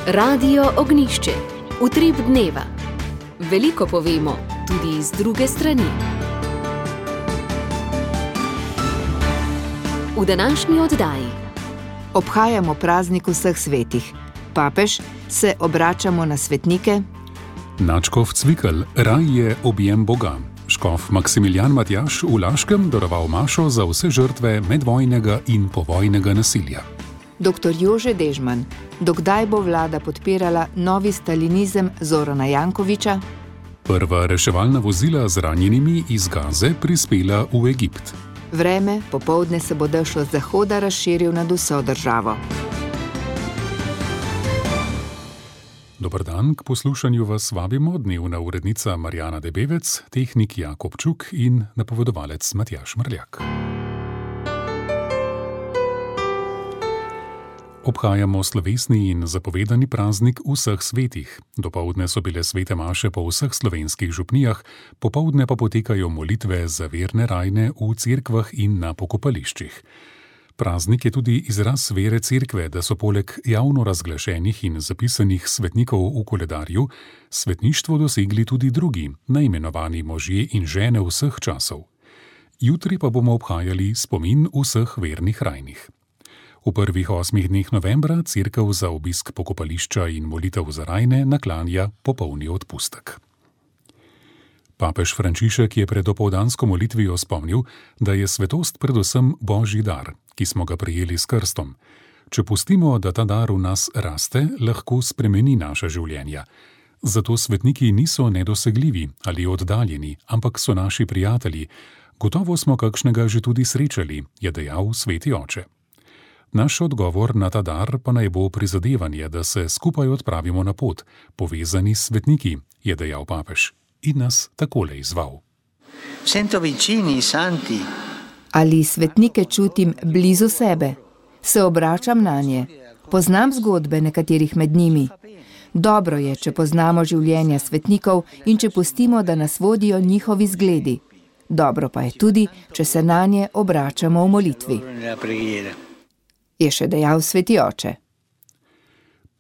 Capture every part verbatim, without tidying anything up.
Radio Ognjišče, utrip dneva. Veliko povemo, tudi iz druge strani. V današnji oddaji obhajamo praznik vseh svetih. Papež, se obračamo na svetnike. Nadškof Cvikl, raj je objem Boga. Škof Maksimilijan Matjaž v Laškem daroval mašo za vse žrtve medvojnega in povojnega nasilja. Doktor Jože Dežman, dokdaj bo vlada podpirala novi stalinizem Zorana Jankovića? Prva reševalna vozila z ranjenimi iz Gaze prispela v Egipt. Vreme, popoldne se bo dež od zahoda razširil nad vso državo. Dober dan, k poslušanju vas vabimo dnevna urednica Marjana Debevec, tehnik Jakob Čuk in napovedovalec Matjaž Mrljak. Obhajamo slovesni in zapovedani praznik vseh svetih. Dopoldne so bile svete maše po vseh slovenskih župnijah, popoldne pa potekajo molitve za verne rajne v cerkvah in na pokopališčih. Praznik je tudi izraz vere cerkve, da so poleg javno razglašenih in zapisanih svetnikov v koledarju, svetništvo dosegli tudi drugi, neimenovani možje in žene vseh časov. Jutri pa bomo obhajali spomin vseh vernih rajnih. V prvih osmih dneh novembra cerkev za obisk pokopališča in molitev za rajne naklanja popolni odpustek. Papež Frančišek je pred dopoldansko molitvijo spomnil, da je svetost predvsem božji dar, ki smo ga prejeli s krstom. Če pustimo, da ta dar v nas raste, lahko spremeni naša življenja. Zato svetniki niso nedosegljivi ali oddaljeni, ampak so naši prijatelji. Gotovo smo kakšnega že tudi srečali, je dejal sveti oče. Naš odgovor na ta dar pa naj bo prizadevanje, da se skupaj odpravimo na pot, povezani s svetniki, je dejal papež in nas takole izval. Sento vicini, santi. Ali svetnike čutim blizu sebe? Se obračam nanje? Poznam zgodbe nekaterih med njimi? Dobro je, če poznamo življenja svetnikov in če pustimo, da nas vodijo njihovi zgledi. Dobro pa je tudi, če se nanje obračamo v molitvi. Je še dejal sveti oče.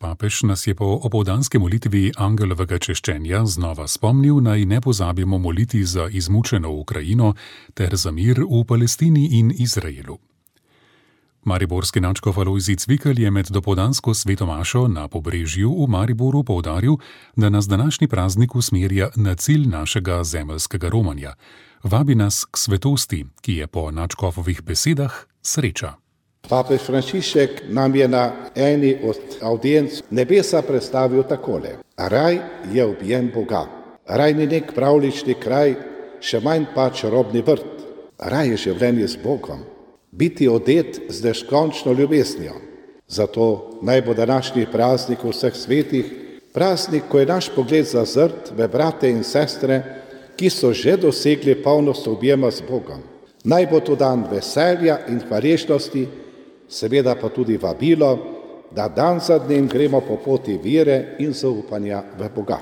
Papež nas je po opoldanski molitvi angelovega češčenja znova spomnil, naj ne pozabimo moliti za izmučeno Ukrajino ter za mir v Palestini in Izraelu. Mariborski nadškof Alojzij Cvikl je med dopoldansko sveto mašo na Pobrežju v Mariboru poudaril, da nas današnji praznik usmerja na cilj našega zemeljskega romanja. Vabi nas k svetosti, ki je po nadškofovih besedah sreča. Papež Frančišek nam je na eni od audienc nebesa predstavil takole. Raj je objem Boga. Raj ni nek pravlični kraj, še manj pa čarobni vrt. Raj je življenje z Bogom. Biti odet z neskončno ljubeznijo. Zato naj bo današnji praznik vseh svetih, praznik, ko je naš pogled zazrt v brate in sestre, ki so že dosegli polnost objema z Bogom. Naj bo to dan veselja in hvaležnosti, seveda pa tudi vabilo, da dan za dnem gremo po poti vere in zaupanja v Boga.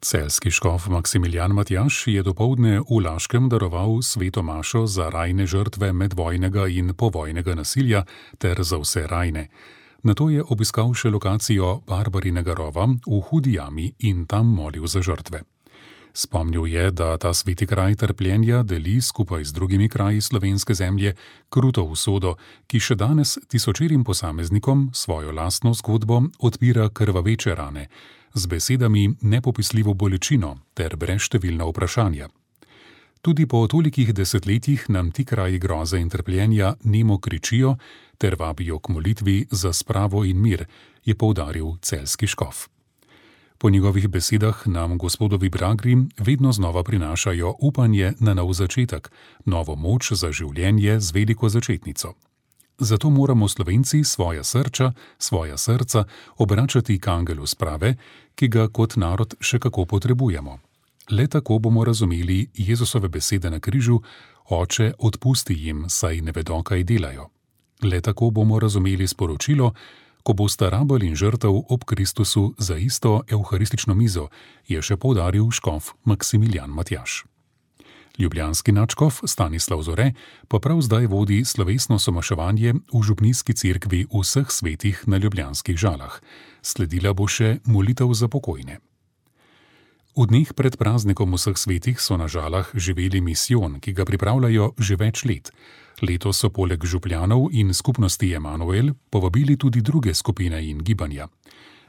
Celjski škof Maksimilijan Matjaž je dopoldne v Laškem daroval sveto mašo za rajne žrtve medvojnega in povojnega nasilja ter za vse rajne. Nato je obiskal še lokacijo Barbarinega rova v Hudi jami in tam molil za žrtve. Spomnil je, da ta sveti kraj trpljenja deli skupaj z drugimi kraji slovenske zemlje kruto usodo, ki še danes tisočerim posameznikom svojo lastno zgodbo odpira krvaveče rane, z besedami nepopisljivo bolečino ter brezštevilna vprašanja. Tudi po tolikih desetletjih nam ti kraji groze in trpljenja nemo kričijo ter vabijo k molitvi za spravo in mir, je poudaril celjski škof. Po njegovih besedah nam gospodovi bragri vedno znova prinašajo upanje na nov začetek, novo moč za življenje z veliko začetnico. Zato moramo Slovenci svoja srča, svoja srca obračati k angelu sprave, ki ga kot narod še kako potrebujemo. Le tako bomo razumeli Jezusove besede na križu: Oče, odpusti jim, saj ne vedo, kaj delajo. Le tako bomo razumeli sporočilo, ko bosta rabelj in žrtev ob Kristusu za isto evharistično mizo, je še poudaril škof Maksimilijan Matjaž. Ljubljanski nadškof Stanislav Zore pa prav zdaj vodi slovesno somaševanje v župnijski cerkvi Vseh svetih na Ljubljanskih Žalah. Sledila bo še molitev za pokojne. V dneh pred praznikom Vseh svetih so na Žalah živeli misijon, ki ga pripravljajo že več let. Letos so poleg župljanov in skupnosti Emanuel povabili tudi druge skupine in gibanja.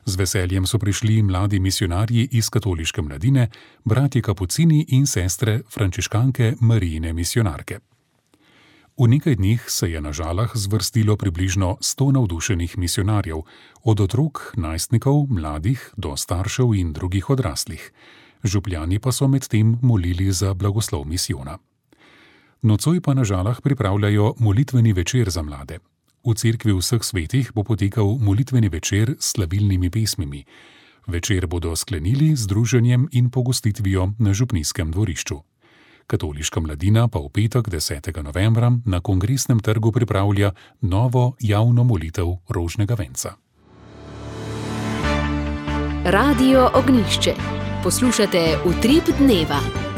Z veseljem so prišli mladi misionarji iz katoliške mladine, bratje kapucini in sestre frančiškanke Marijine misionarke. V nekaj dneh se je na Žalah zvrstilo približno sto navdušenih misionarjev, od otrok, najstnikov, mladih do staršev in drugih odraslih. Župljani pa so medtem molili za blagoslov misijona. Nocoj pa na Žalah pripravljajo molitveni večer za mlade. V cerkvi Vseh svetih bo potekal molitveni večer s slavilnimi pesmimi. Večer bodo sklenili z druženjem in pogostitvijo na župnijskem dvorišču. Katoliška mladina pa v petek desetega novembra na Kongresnem trgu pripravlja novo javno molitev rožnega venca. Radio Ognjišče. Poslušate Utrip dneva.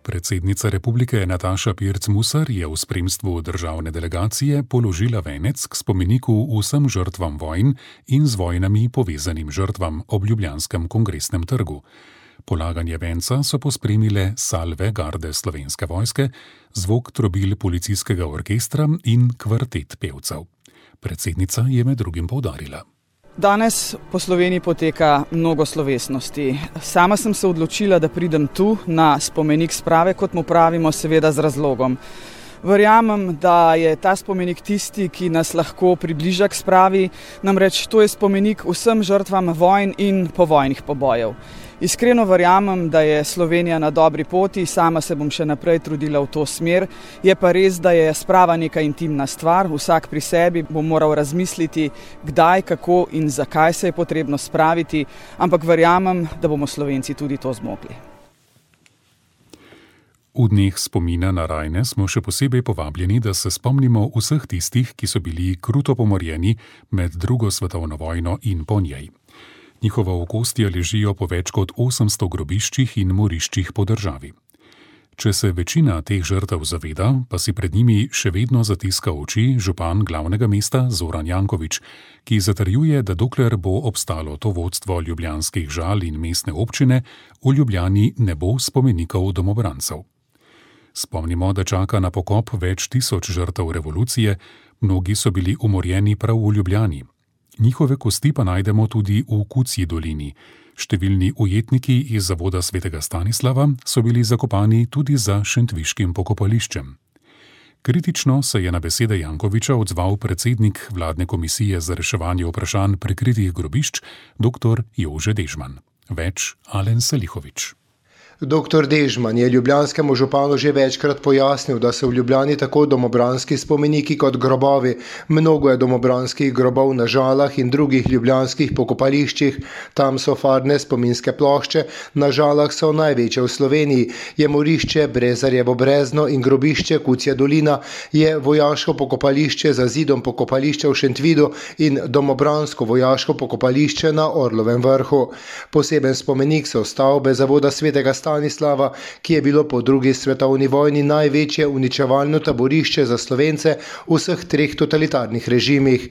Predsednica republike Nataša Pirc Musar je v spremstvu državne delegacije položila venec k spomeniku vsem žrtvam vojn in z vojnami povezanim žrtvam ob Ljubljanskem kongresnem trgu. Polaganje venca so pospremile salve garde Slovenske vojske, zvok trobil policijskega orkestra in kvartet pevcev. Predsednica je med drugim poudarila. Danes po Sloveniji poteka mnogo slovesnosti. Sama sem se odločila, da pridem tu na spomenik sprave, kot mu pravimo, seveda z razlogom. Verjamem, da je ta spomenik tisti, ki nas lahko približa k spravi, namreč to je spomenik vsem žrtvam vojn in povojnih pobojev. Iskreno verjamem, da je Slovenija na dobri poti, sama se bom še naprej trudila v to smer. Je pa res, da je sprava neka intimna stvar, vsak pri sebi bo moral razmisliti, kdaj, kako in zakaj se je potrebno spraviti, ampak verjamem, da bomo Slovenci tudi to zmogli. V dneh spomina na rajne smo še posebej povabljeni, da se spomnimo vseh tistih, ki so bili kruto pomorjeni med drugo svetovno vojno in po njej. Njihova okostja ležijo po več kot osemsto grobiščih in moriščih po državi. Če se večina teh žrtev zaveda, pa si pred njimi še vedno zatiska oči župan glavnega mesta Zoran Janković, ki zatrjuje, da dokler bo obstalo to vodstvo ljubljanskih Žal in mestne občine, v Ljubljani ne bo spomenikov domobrancev. Spomnimo, da čaka na pokop več tisoč žrtev revolucije, mnogi so bili umorjeni prav v Ljubljani. Njihove kosti pa najdemo tudi v Kucji dolini. Številni ujetniki iz zavoda svetega Stanislava so bili zakopani tudi za šentviškim pokopališčem. Kritično se je na besede Jankovića odzval predsednik vladne komisije za reševanje vprašanj prikritih grobišč, dr. Jože Dežman. Več Alen Salihović. doktor Dežman je ljubljanskemu županu že večkrat pojasnil, da so v Ljubljani tako domobranski spomeniki kot grobovi. Mnogo je domobranskih grobov na Žalah in drugih ljubljanskih pokopališčih. Tam so farne spominske plošče, na Žalah so največje v Sloveniji. Je morišče Brezarjevo brezno in grobišče Kucja dolina, je vojaško pokopališče za zidom pokopališča v Šentvidu in domobransko vojaško pokopališče na Orlovem vrhu. Poseben spomenik so stavbe zavoda svetega Stanislava, ki je bilo po drugi svetovni vojni največje uničevalno taborišče za Slovence v vseh treh totalitarnih režimih.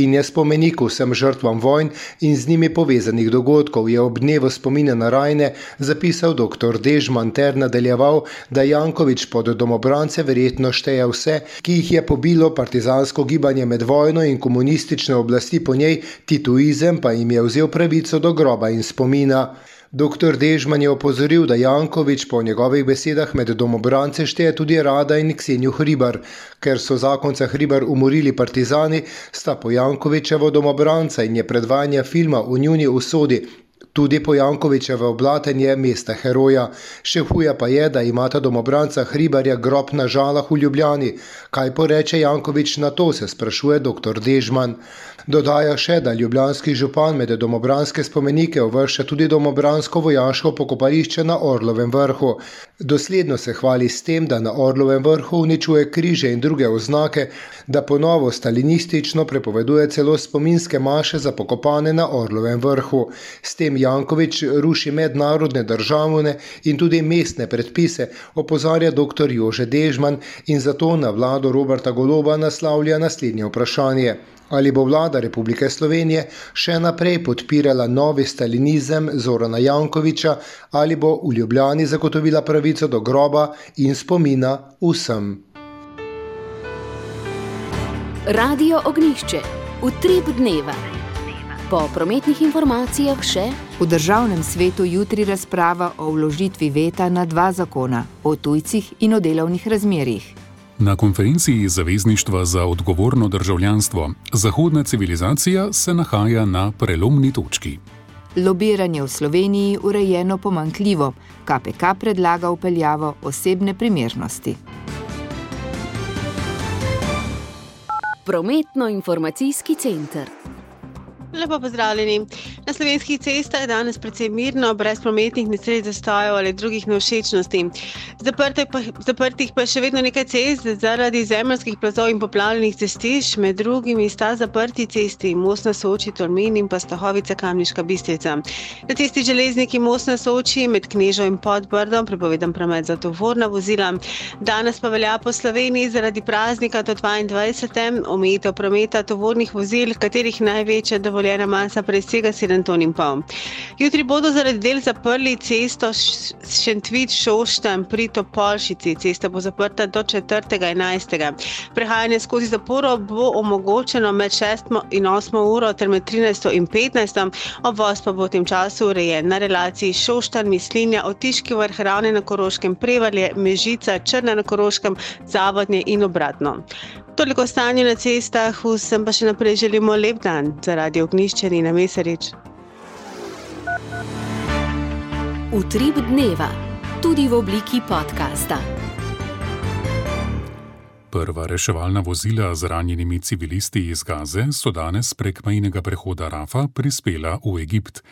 In je spomenik vsem žrtvam vojn in z njimi povezanih dogodkov, je ob dnevu spomina na rajne zapisal doktor Dežman ter nadaljeval, da Janković pod domobrance verjetno šteje vse, ki jih je pobilo partizansko gibanje med vojno in komunistične oblasti po njej, tituizem pa jim je vzel pravico do groba in spomina. doktor Dežman je opozoril, da Janković po njegovih besedah med domobrance šteje tudi Rada in Ksenjo Hribar. Ker so zakonca Hribar umorili partizani, sta po Jankovićevo domobranca in je predvajanje filma o njuni usodi tudi po Jankovićevo oblatenje mesta heroja. Še huje pa je, da imata domobranca Hribarja grob na Žalah v Ljubljani. Kaj poreče Janković na to, se sprašuje doktor Dežman. Dodaja še, da ljubljanski župan med domobranske spomenike uvršča tudi domobransko vojaško pokopališče na Orlovem vrhu. Dosledno se hvali s tem, da na Orlovem vrhu uničuje križe in druge oznake, da ponovo stalinistično prepoveduje celo spominske maše za pokopane na Orlovem vrhu. S tem Janković ruši mednarodne državne in tudi mestne predpise, opozarja doktor Jože Dežman in zato na vlado Roberta Goloba naslavlja naslednje vprašanje. Ali bo vlada Republike Slovenije še naprej podpirala novi stalinizem Zorana Jankovića ali bo v Ljubljani zagotovila pravico do groba in spomina vsem. Radio Ognjišče. Utrip dneva. Po prometnih informacijah še: v državnem svetu jutri razprava o vložitvi veta na dva zakona, o tujcih in o delovnih razmerjih. Na konferenciji Zavezništva za odgovorno državljanstvo zahodna civilizacija se nahaja na prelomni točki. Lobiranje v Sloveniji urejeno pomanjkljivo. K P K predlaga vpeljavo osebne primernosti. Prometno-informacijski center. Lepo pozdravljeni. Na slovenskih cestah je danes precej mirno, brez prometnih nesreč, zastojev ali drugih nevšečnosti. Zaprtih pa, zaprtih pa je še vedno nekaj cest zaradi zemeljskih plazov in poplavljenih cestišč, med drugimi sta zaprti cesti Most na Soči, Tolmin in pa Stahovica, Kamniška Bistrica. Na cesti Železniki Most na Soči med Knežo in Podbrdom prepovedan promet za tovorna vozila. Danes pa velja po Sloveniji zaradi praznika do dvaindvajsetega omejitev prometa tovornih vozil, katerih največja dovoljena masa presega sedem ton in pol. Jutri bodo zaradi del zaprli cesto Šentvid-Šoštanj pri Topolšici. Cesta bo zaprta do četrtega enajstega Prehajanje skozi zaporo bo omogočeno med šesto in osmo uro ter med trinajsto in petnajsto Obvoz pa bo v tem času urejen na relaciji Šoštanj, Mislinja, Otiški Vrh, Ravne na Koroškem, Prevalje, Mežica, Črna na Koroškem, Zavodnje in obratno. Toliko stanje na cestah, vsem pa še naprej želimo lep dan. Za Radio Ognjišče Nina Mesarič. Utrip dneva. Tudi v obliki podcasta. Prva reševalna vozila z ranjenimi civilisti iz Gaze so danes prek mejnega prehoda Rafa prispela v Egipt.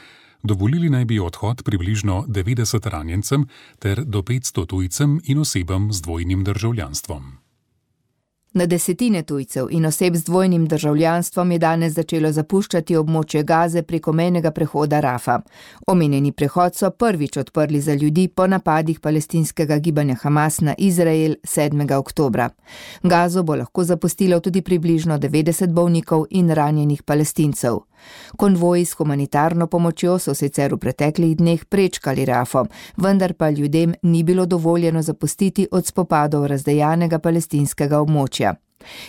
Dovolili naj bi odhod približno devetdeset ranjencem ter do petsto tujcem in osebam z dvojnim državljanstvom. Na desetine tujcev in oseb z dvojnim državljanstvom je danes začelo zapuščati območje Gaze preko mejnega prehoda Rafa. Omenjeni prehod so prvič odprli za ljudi po napadih palestinskega gibanja Hamas na Izrael sedmega oktobra. Gazo bo lahko zapustilo tudi približno devetdeset bolnikov in ranjenih Palestincev. Konvoji s humanitarno pomočjo so sicer v preteklih dneh prečkali Rafo, vendar pa ljudem ni bilo dovoljeno zapustiti od spopadov razdejanega palestinskega območja.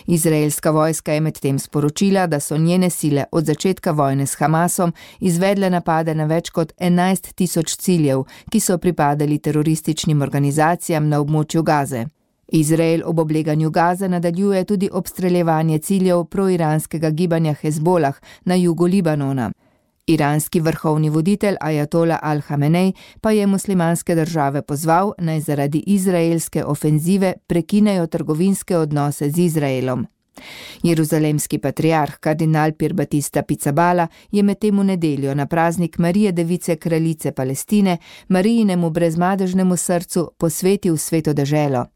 Izraelska vojska je medtem sporočila, da so njene sile od začetka vojne s Hamasom izvedle napade na več kot enajst tisoč ciljev, ki so pripadali terorističnim organizacijam na območju Gaze. Izrael ob obleganju Gaze nadaljuje tudi obstreljevanje ciljev proiranskega gibanja Hezbolah na jugu Libanona. Iranski vrhovni voditelj Ajatola Al-Hamenej pa je muslimanske države pozval, naj zaradi izraelske ofenzive prekinejo trgovinske odnose z Izraelom. Jeruzalemski patriarh kardinal Pier Battista Pizzaballa je medtem v nedeljo na praznik Marije Device kraljice Palestine Marijinemu brezmadežnemu srcu posvetil sveto deželo.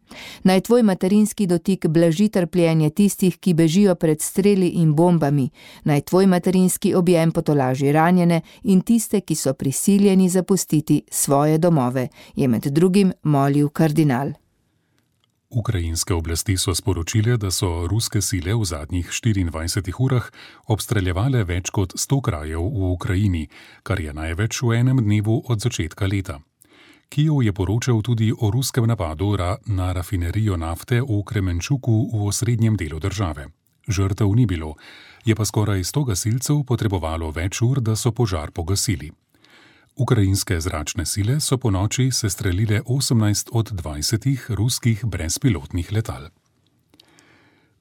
Naj tvoj materinski dotik blaži trpljenje tistih, ki bežijo pred streli in bombami, naj tvoj materinski objem potolaži ranjene in tiste, ki so prisiljeni zapustiti svoje domove, je med drugim molil kardinal. Ukrajinske oblasti so sporočile, da so ruske sile v zadnjih štiriindvajsetih urah obstreljevale več kot sto krajev v Ukrajini, kar je največ v enem dnevu od začetka leta. Kijev je poročal tudi o ruskem napadu na rafinerijo nafte v Kremenčuku v osrednjem delu države. Žrtev ni bilo, je pa skoraj sto gasilcev potrebovalo več ur, da so požar pogasili. Ukrajinske zračne sile so ponoči sestrelile osemnajst od dvajsetih ruskih brezpilotnih letal.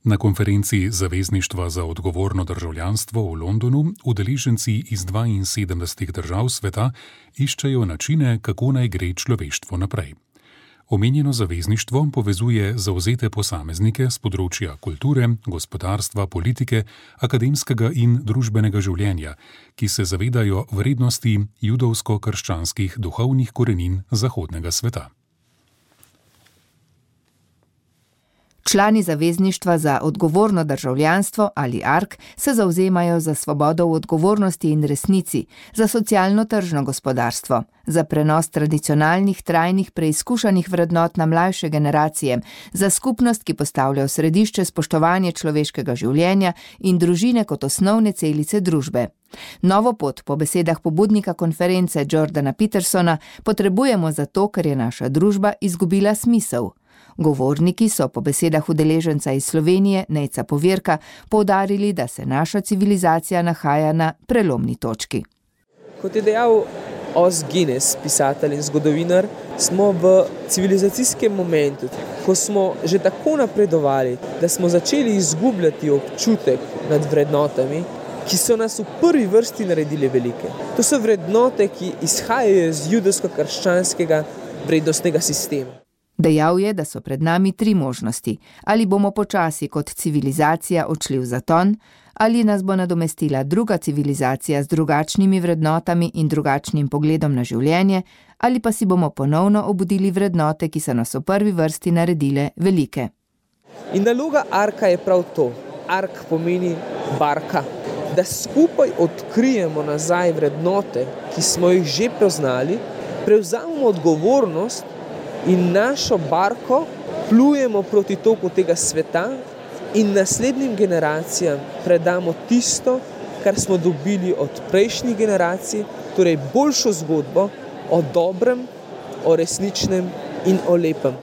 Na konferenci Zavezništva za odgovorno državljanstvo v Londonu udeleženci iz dvainsedemdesetih držav sveta iščejo načine, kako naj gre človeštvo naprej. Omenjeno zavezništvo povezuje zavzete posameznike z področja kulture, gospodarstva, politike, akademskega in družbenega življenja, ki se zavedajo vrednosti judovsko-krščanskih duhovnih korenin zahodnega sveta. Člani Zavezništva za odgovorno državljanstvo ali A R K se zavzemajo za svobodo v odgovornosti in resnici, za socialno tržno gospodarstvo, za prenos tradicionalnih, trajnih, preizkušanih vrednot na mlajše generacije, za skupnost, ki postavlja v središče spoštovanje človeškega življenja in družine kot osnovne celice družbe. Novo pot, po besedah pobudnika konference Jordana Petersona, potrebujemo zato, ker je naša družba izgubila smisel. Govorniki so po besedah udeleženca iz Slovenije, Nejca Povirka, poudarili, da se naša civilizacija nahaja na prelomni točki. Kot je dejal Os Guinness, pisatelj in zgodovinar, smo v civilizacijskem momentu, ko smo že tako napredovali, da smo začeli izgubljati občutek nad vrednotami, ki so nas v prvi vrsti naredili velike. To so vrednote, ki izhajajo iz judovsko-krščanskega vrednostnega sistema. Dejal je, da so pred nami tri možnosti. Ali bomo počasi kot civilizacija odšli v zaton, ali nas bo nadomestila druga civilizacija z drugačnimi vrednotami in drugačnim pogledom na življenje, ali pa si bomo ponovno obudili vrednote, ki so nas v prvi vrsti naredile velike. In naloga A R K-a je prav to. A R K pomeni barka. Da skupaj odkrijemo nazaj vrednote, ki smo jih že poznali, prevzamemo odgovornost in našo barko plujemo proti toku tega sveta in naslednjim generacijam predamo tisto, kar smo dobili od prejšnjih generacij, torej boljšo zgodbo o dobrem, o resničnem in o lepem.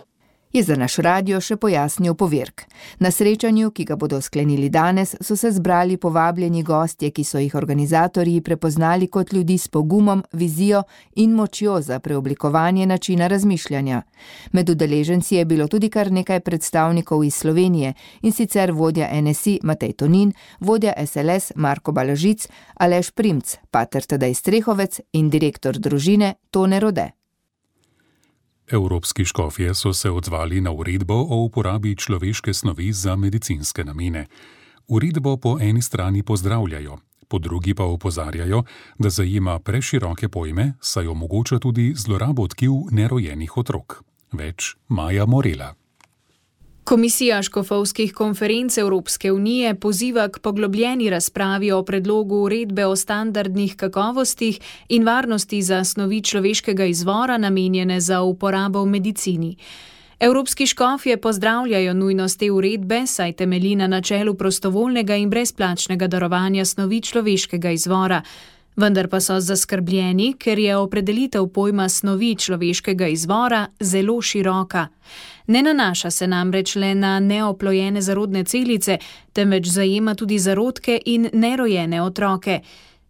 Je za naš radio še pojasnil Povirk. Na srečanju, ki ga bodo sklenili danes, so se zbrali povabljeni gostje, ki so jih organizatorji prepoznali kot ljudi s pogumom, vizijo in močjo za preoblikovanje načina razmišljanja. Med udeleženci je bilo tudi kar nekaj predstavnikov iz Slovenije, in sicer vodja N S I Matej Tonin, vodja S L S Marko Balažic, Aleš Primc, pater Tadej Strehovec in direktor družine Tone Rode. Evropski škofje so se odzvali na uredbo o uporabi človeške snovi za medicinske namene. Uredbo po eni strani pozdravljajo, po drugi pa opozarjajo, da zajema preširoke pojme, saj omogoča tudi zlorabo tkiv nerojenih otrok. Več Maja Morela. Komisija škofovskih konferenc Evropske unije poziva k poglobljeni razpravi o predlogu uredbe o standardnih kakovostih in varnosti za snovi človeškega izvora namenjene za uporabo v medicini. Evropski škofje pozdravljajo nujnost te uredbe, saj temelji na načelu prostovoljnega in brezplačnega darovanja snovi človeškega izvora. Vendar pa so zaskrbljeni, ker je opredelitev pojma snovi človeškega izvora zelo široka. Ne nanaša se namreč le na neoplojene zarodne celice, temveč zajema tudi zarodke in nerojene otroke.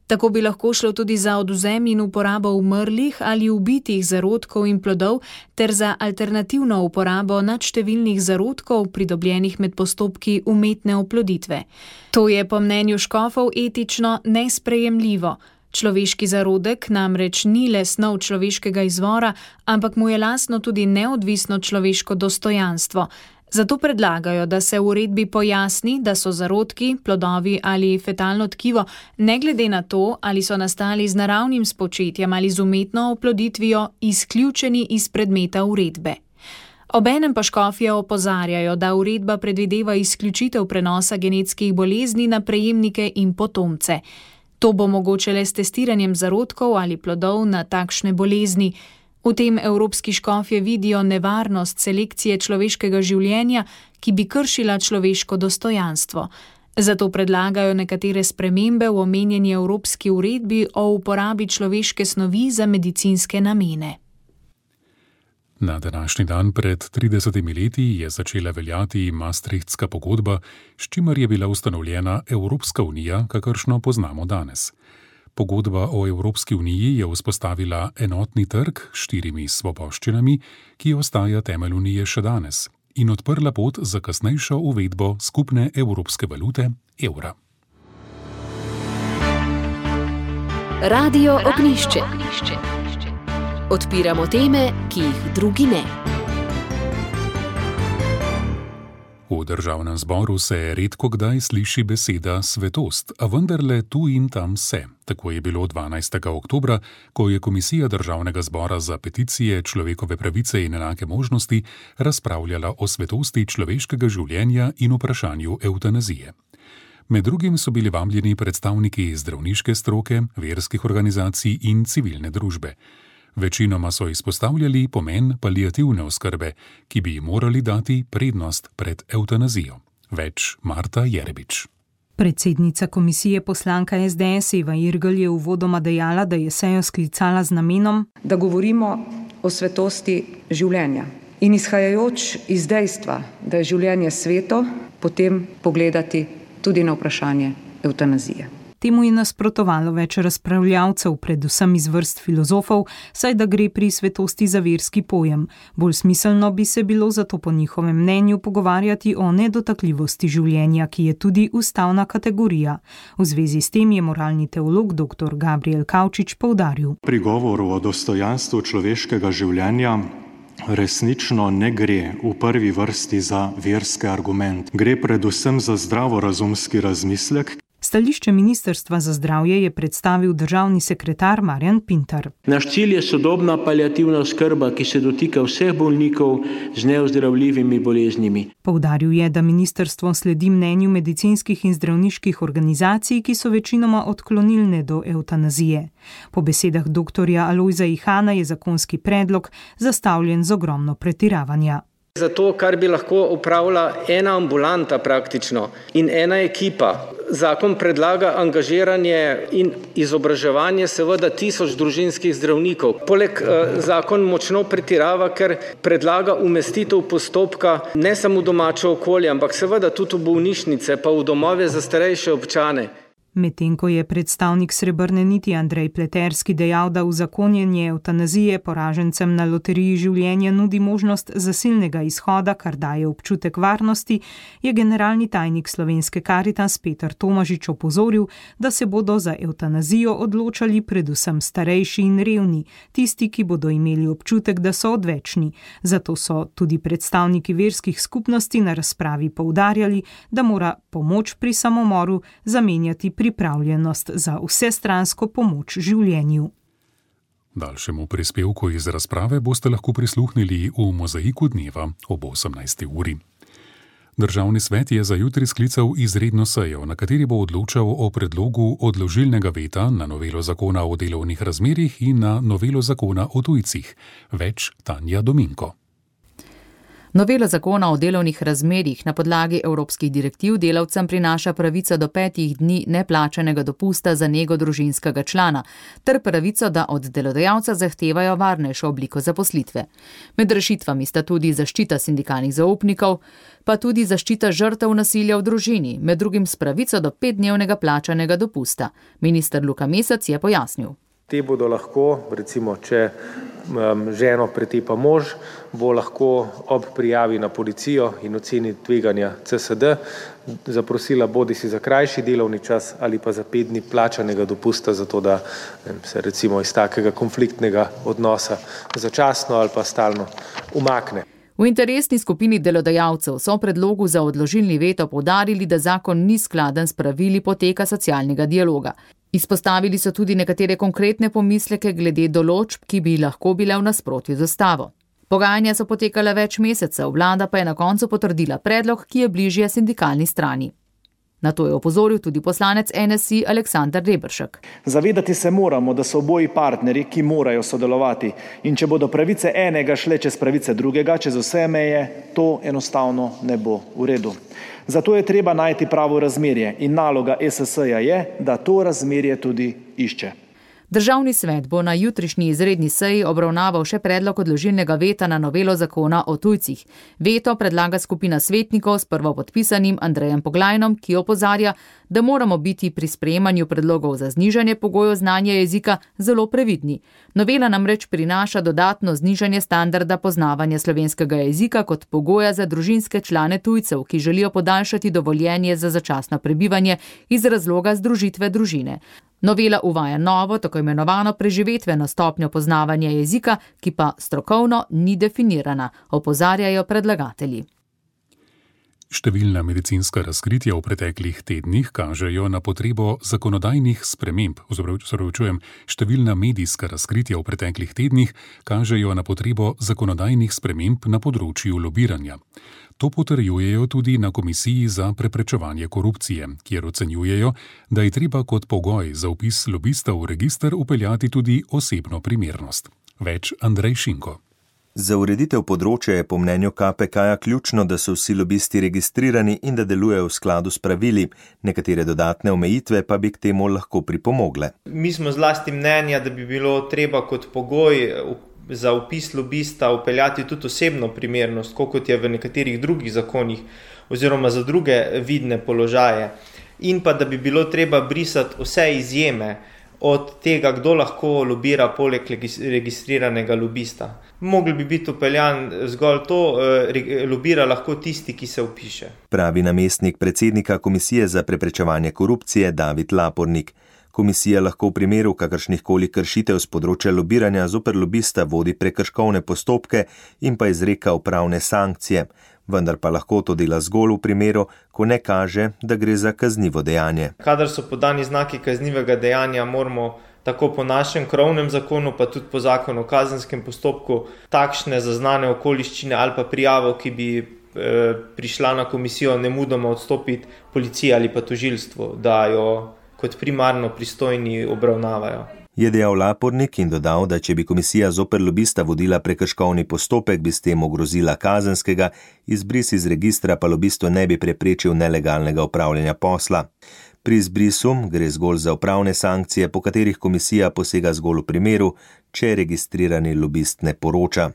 Tako bi lahko šlo tudi za odvzem in uporabo umrlih ali ubitih zarodkov in plodov ter za alternativno uporabo nadštevilnih zarodkov, pridobljenih med postopki umetne oploditve. To je po mnenju škofov etično nesprejemljivo. Človeški zarodek namreč ni le snov človeškega izvora, ampak mu je lastno tudi neodvisno človeško dostojanstvo. Zato predlagajo, da se v uredbi pojasni, da so zarodki, plodovi ali fetalno tkivo, ne glede na to, ali so nastali z naravnim spočetjem ali z umetno oploditvijo, izključeni iz predmeta uredbe. Obenem pa škofje opozarjajo, da uredba predvideva izključitev prenosa genetskih bolezni na prejemnike in potomce. To bo mogoče le s testiranjem zarodkov ali plodov na takšne bolezni. V tem evropski škofje vidijo nevarnost selekcije človeškega življenja, ki bi kršila človeško dostojanstvo. Zato predlagajo nekatere spremembe v omenjeni evropski uredbi o uporabi človeške snovi za medicinske namene. Na današnji dan pred tridesetimi leti je začela veljati Maastrichtska pogodba, s čimer je bila ustanovljena Evropska unija, kakršno poznamo danes. Pogodba o Evropski uniji je vzpostavila enotni trg s štirimi svoboščinami, ki ostaja temelj unije še danes, in odprla pot za kasnejšo uvedbo skupne evropske valute evra. Radio Ognjišče. Odpiramo teme, ki jih drugi ne. V državnem zboru se redko kdaj sliši beseda svetost, a vendarle tu in tam se. Tako je bilo dvanajstega oktobra, ko je Komisija Državnega zbora za peticije, človekove pravice in enake možnosti razpravljala o svetosti človeškega življenja in vprašanju evtanazije. Med drugim so bili vabljeni predstavniki zdravniške stroke, verskih organizacij in civilne družbe. Večinoma so izpostavljali pomen paliativne oskrbe, ki bi morali dati prednost pred evtanazijo. Več Marta Jerebič. Predsednica komisije poslanka es de es Eva Irgl je uvodoma dejala, da je sejo sklicala z namenom, da govorimo o svetosti življenja in izhajajoč iz dejstva, da je življenje sveto, potem pogledati tudi na vprašanje evtanazije. Temu je nasprotovalo več razpravljavcev, predvsem iz vrst filozofov, saj da gre pri svetosti za verski pojem. Bolj smiselno bi se bilo zato po njihovem mnenju pogovarjati o nedotakljivosti življenja, ki je tudi ustavna kategorija. V zvezi s tem je moralni teolog dr. Gabriel Kavčič poudaril. Pri govoru o dostojanstvu človeškega življenja resnično ne gre v prvi vrsti za verski argument. Gre predvsem za zdravorazumski razmislek. Stališče Ministrstva za zdravje je predstavil državni sekretar Marjan Pintar. Naš cilj je sodobna paliativna oskrba, ki se dotika vseh bolnikov z neozdravljivimi boleznimi. Poudaril je, da ministrstvo sledi mnenju medicinskih in zdravniških organizacij, ki so večinoma odklonilne do evtanazije. Po besedah doktorja Alojza Ihana je zakonski predlog zastavljen z ogromno pretiravanja. Zato, kar bi lahko upravila ena ambulanta praktično in ena ekipa. Zakon predlaga angažiranje in izobraževanje seveda tisoč družinskih zdravnikov. Poleg eh, zakon močno pretirava, ker predlaga umestitev postopka ne samo v domače okolje, ampak seveda tudi v bolnišnice, pa v domove za starejše občane. Medtem ko je predstavnik Srebrne niti Andrej Pleterski dejal, da uzakonjenje evtanazije poražencem na loteriji življenja nudi možnost zasilnega izhoda, kar daje občutek varnosti, je generalni tajnik Slovenske Karitas Peter Tomažič opozoril, da se bodo za evtanazijo odločali predvsem starejši in revni, tisti, ki bodo imeli občutek, da so odvečni. Zato so tudi predstavniki verskih skupnosti na razpravi poudarjali, da mora pomoč pri samomoru zamenjati pripravljenost za vsestransko pomoč življenju. Daljšemu prispevku iz razprave boste lahko prisluhnili v Mozaiku dneva ob osemnajsti uri. Državni svet je za jutri sklical izredno sejo, na kateri bo odločal o predlogu odložilnega veta na novelo zakona o delovnih razmerjih in na novelo zakona o tujcih. Več Tanja Dominko. Novela zakona o delovnih razmerjih na podlagi evropskih direktiv delavcem prinaša pravico do petih dni neplačanega dopusta za nego družinskega člana, ter pravico, da od delodajalca zahtevajo varnejšo obliko zaposlitve. Med rešitvami sta tudi zaščita sindikalnih zaupnikov, pa tudi zaščita žrtev nasilja v družini, med drugim s pravico do petdnevnega plačanega dopusta. Minister Luka Mesec je pojasnil. Te bodo lahko, recimo, če um, ženo pretepa mož, bo lahko ob prijavi na policijo in oceni tveganja C S D zaprosila bodi si za krajši delovni čas ali pa za pet dni plačanega dopusta, zato da ne, se recimo iz takega konfliktnega odnosa začasno ali pa stalno umakne. V interesni skupini delodajalcev so v predlogu za odložilni veto poudarili, da zakon ni skladen s pravili poteka socialnega dialoga. Izpostavili so tudi nekatere konkretne pomisleke glede določb, ki bi lahko bile v nasprotju z ustavo. Pogajanja so potekala več mesecev, vlada pa je na koncu potrdila predlog, ki je bližje sindikalni strani. Na to je opozoril tudi poslanec N S I Aleksander Reberšek. Zavedati se moramo, da so oboji partnerji, ki morajo sodelovati, in če bodo pravice enega šle čez pravice drugega, čez vse meje, to enostavno ne bo v redu. Zato je treba najti pravo razmerje in naloga E S S-ja je, da to razmerje tudi išče. Državni svet bo na jutrišnji izredni seji obravnaval še predlog odložilnega veta na novelo zakona o tujcih. Veto predlaga skupina svetnikov s prvopodpisanim Andrejem Poglajnom, ki opozarja, da moramo biti pri sprejemanju predlogov za znižanje pogojev znanja jezika zelo previdni. Novela namreč prinaša dodatno znižanje standarda poznavanja slovenskega jezika kot pogoja za družinske člane tujcev, ki želijo podaljšati dovoljenje za začasno prebivanje iz razloga združitve družine. Novela uvaja novo, tako imenovano preživetveno stopnjo poznavanja jezika, ki pa strokovno ni definirana, opozarjajo predlagatelji. Številna medicinska razkritja v preteklih tednih kažejo na potrebo zakonodajnih sprememb, oziroma številna medijska razkritja v preteklih tednih kažejo na potrebo zakonodajnih sprememb na področju lobiranja. To potrjujejo tudi na Komisiji za preprečevanje korupcije, kjer ocenjujejo, da je treba kot pogoj za vpis lobista v register vpeljati tudi osebno primernost. Več Andrej Šinko. Za ureditev področja je po mnenju K P K-ja ključno, da so vsi lobisti registrirani in da delujejo v skladu s pravili, nekatere dodatne omejitve pa bi k temu lahko pripomogle. Mi smo zlasti mnenja, da bi bilo treba kot pogoj za vpis lobista vpeljati tudi osebno primernost, kot je v nekaterih drugih zakonih oziroma za druge vidne položaje. In pa da bi bilo treba brisati vse izjeme od tega, kdo lahko lobira poleg registriranega lobista. Mogli bi biti upeljan zgolj to, lobira lahko tisti, ki se vpiše. Pravi namestnik predsednika Komisije za preprečevanje korupcije David Lapornik. Komisija lahko v primeru kakršnihkoli kršitev z področja lobiranja zoper lobista vodi prekrškovne postopke in pa izreka upravne sankcije, vendar pa lahko to dela zgolj v primeru, ko ne kaže, da gre za kaznivo dejanje. Kadar so podani znaki kaznivega dejanja, moramo tako po našem krovnem zakonu, pa tudi po zakonu o kazenskem postopku, takšne zaznane okoliščine ali pa prijavo, ki bi e, prišla na komisijo, nemudoma odstopiti policiji ali pa tožilstvu, da jo kot primarno pristojni obravnavajo. Je dejal Lapornik in dodal, da če bi komisija zoper lobista vodila prekrškovni postopek, bi s tem ogrozila kazenskega, izbris iz registra pa lobistu ne bi preprečil nelegalnega upravljanja posla. Pri izbrisu gre zgolj za upravne sankcije, po katerih komisija posega zgolj v primeru, če registrirani lobist ne poroča.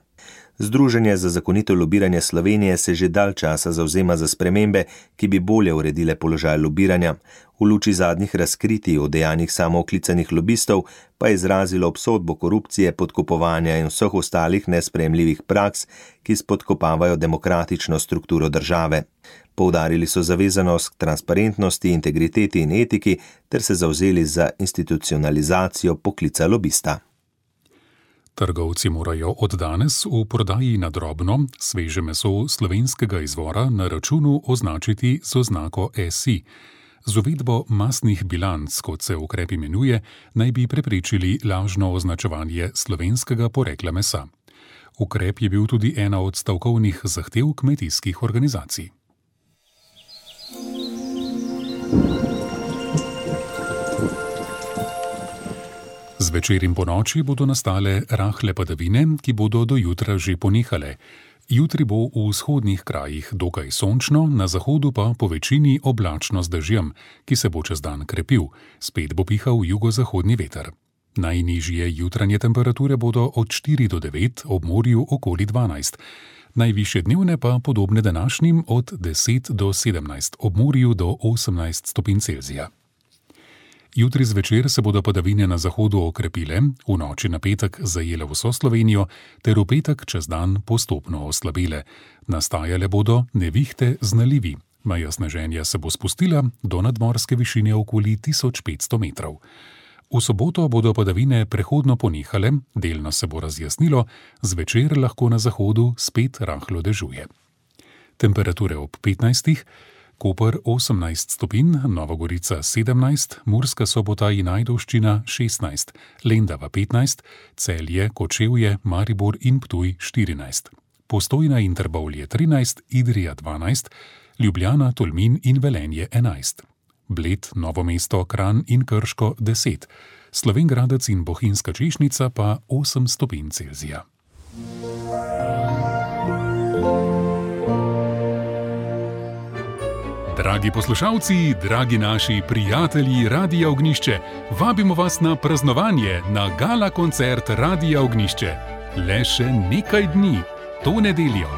Združenje za zakonito lobiranje Slovenije se že dalj časa zavzema za spremembe, ki bi bolje uredile položaj lobiranja. V luči zadnjih razkritij o dejanjih samooklicanih lobistov pa je izrazilo obsodbo korupcije, podkupovanja in vseh ostalih nesprejemljivih praks, ki spodkopavajo demokratično strukturo države. Poudarili so zavezanost k transparentnosti, integriteti in etiki ter se zavzeli za institucionalizacijo poklica lobista. Trgovci morajo od danes v prodaji na drobno sveže meso slovenskega izvora na računu označiti z oznako S I. Z uvedbo masnih bilanc, kot se ukrep imenuje, naj bi preprečili lažno označevanje slovenskega porekla mesa. Ukrep je bil tudi ena od stavkovnih zahtev kmetijskih organizacij. Zvečer in ponoči bodo nastale rahle padavine, ki bodo do jutra že ponehale. Jutri bo v vzhodnih krajih dokaj sončno, na zahodu pa po večini oblačno z dežjem, ki se bo čez dan krepil, spet bo pihal jugozahodni veter. Najnižje jutranje temperature bodo od štiri do devet, ob morju okoli dvanajst. Najvišje dnevne pa podobne današnjim od deset do sedemnajst, ob morju do osemnajst stopinj Celzija. Jutri zvečer se bodo padavine na zahodu okrepile, v noči na petek zajele vso Slovenijo, ter v petek čez dan postopno oslabile. Nastajale bodo nevihte z nalivi. Meja sneženja se bo spustila do nadmorske višine okoli tisoč petsto metrov. V soboto bodo padavine prehodno ponehale, delno se bo razjasnilo, zvečer lahko na zahodu spet rahlo dežuje. Temperature ob petnajstih, Koper osemnajst stopinj, Nova Gorica sedemnajst, Murska Sobota in Ajdovščina šestnajst, Lendava petnajst, Celje, Kočevje, Maribor in Ptuj štirinajst, Postojna in Trbovlje trinajst, Idrija dvanajst, Ljubljana, Tolmin in Velenje enajst, Bled, Novo mesto, Kranj in Krško deset, Slovenj Gradec in Bohinjska Češnica pa osem stopinj Celzija. Dragi poslušalci, dragi naši prijatelji Radia Ognjišče, vabimo vas na praznovanje na gala koncert Radia Ognjišče. Le še nekaj dni, to nedeljo.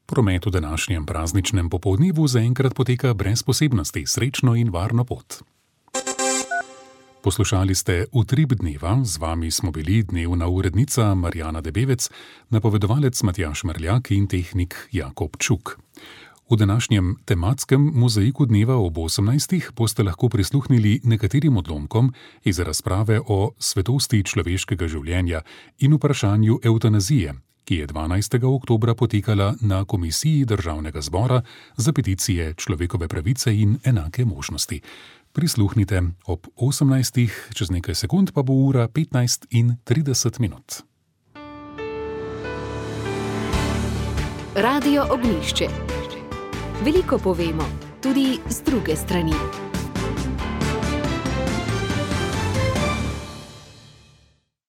Promet v današnjem prazničnem popoldnevu zaenkrat poteka brez posebnosti, srečno in varno pot. Poslušali ste Utrip dneva, z vami smo bili dnevna urednica Marjana Debevec, napovedovalec Matjaž Merljak in tehnik Jakob Čuk. V današnjem tematskem mozaiku dneva ob osemnajstih boste lahko prisluhnili nekaterim odlomkom iz razprave o svetosti človeškega življenja in vprašanju evtanazije, ki je dvanajstega oktobra potekala na Komisiji Državnega zbora za peticije, človekove pravice in enake možnosti. Prisluhnite ob osemnajstih, čez nekaj sekund pa bo ura petnajst in trideset minut. Radio Ognjišče. Veliko povemo, tudi z druge strani.